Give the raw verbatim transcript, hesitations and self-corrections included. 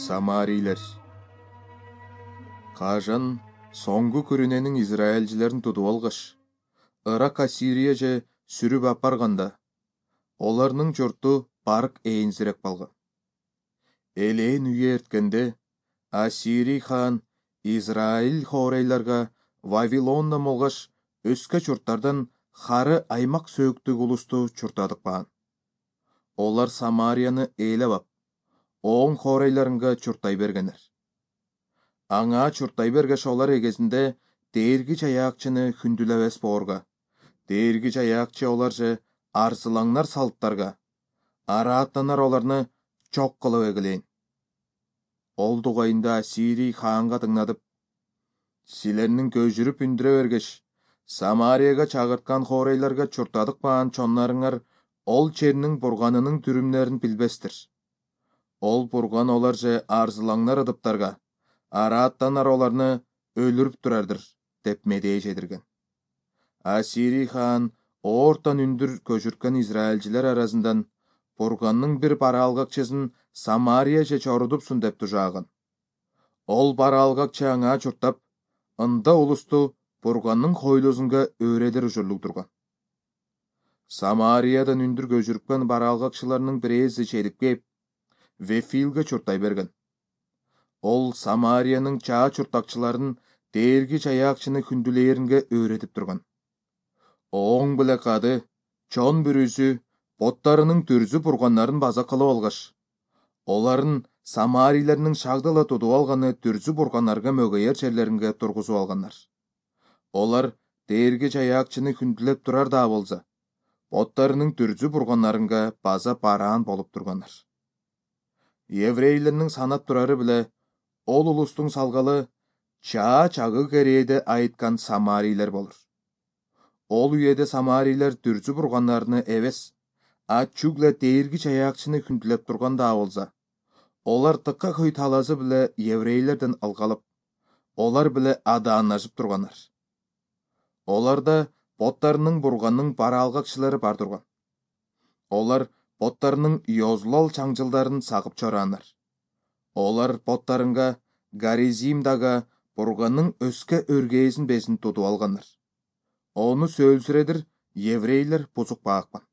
Самарийлер. Кажан соңгу күрүненин израилчилерин тутуп алгаш, Ырак Ассирия же сүрүп апарганда, оларнын журту барк ээнсиреп калган. Элээн үйе эрткенде, Ассирий хаан Израиль хорейларга Вавилондон болгош өскө журттардан хары аймак сөөктүк улусту чуртадык баан. Олар Самарияны ээлеп ап, оң хорейларынга чуртай бергенер. Аңа чуртай бергеш олар эгезинде Дээрги Жаякчыны хүндүлөбес боорга, Дээрги Жаякчы олар же арзылаңнар салттарга, арааттанар оларны жок кылып эгилейин. Ол дугайында Ассирий хаанга тыңнадып, силердин көжүрүп үндүрө бергеш, Самарияга чагырткан хорейларга чуртадык баан чоннарыңар ол чернин бурганынын түрүмнөрүн билбестир. Ол бурган олар же арзылаңнар ыдыптарга, арааттанар оларны өлүрүп турардыр, деп медээ жедирген. Ассирий хаан оортон үндүр көжүрткөн израилчилер арасындан бурганның бир бараалгакчысын Самария же чорудупсун деп тужааган. Ол бараалгакчы аңа чуртап, ында улусту бурганның хойлосунга өөредер ужурлук турган. Самариядан үндүр көжүрткөн бараалгакчыларынын бирээси чедип кеп, Вефилге чуртай берген. Ол Самариянын чаа чуртакчыларын Дээрги Жаякчыны хүндүлээринге өөретип турган. Оң биле кады, чон бүрүсү боттарынын түрзү бурганнарын база кылып алгаш, оларын Самарийлердин шагдала тутуп алганы түрзү бурганнарга мөгөйөр жерлеринге тургузуп алгандар. Олар Дээрги Жаякчыны хүндүлөп турар да болза, боттарынын түрзү бурганнарынга база бараан болуп тургандар. Еврейлердин санап турары биле ол улустун салгалы чаа чагы керээде айткан Самарийлер болор. Ол үйеде Самарийлер түрзү бурганнарыны эбес, ачугле Дээрги Жаякчыны хүндүлөп турган да болза, олар тыкка көй талазы биле еврейлерден алгалып, олар биле адаанашып тургандар. Оларда боттарынын бурганның бараалгакчылары бар турган. Олар боттарынын Йозлол чаңжылдарын сагып чораандар. Олар боттарынга Гаризимдага бурганның өскө өргээсин бесин тутуп алгандар. Ону сөөлсүредир еврейлер бузук баакпан.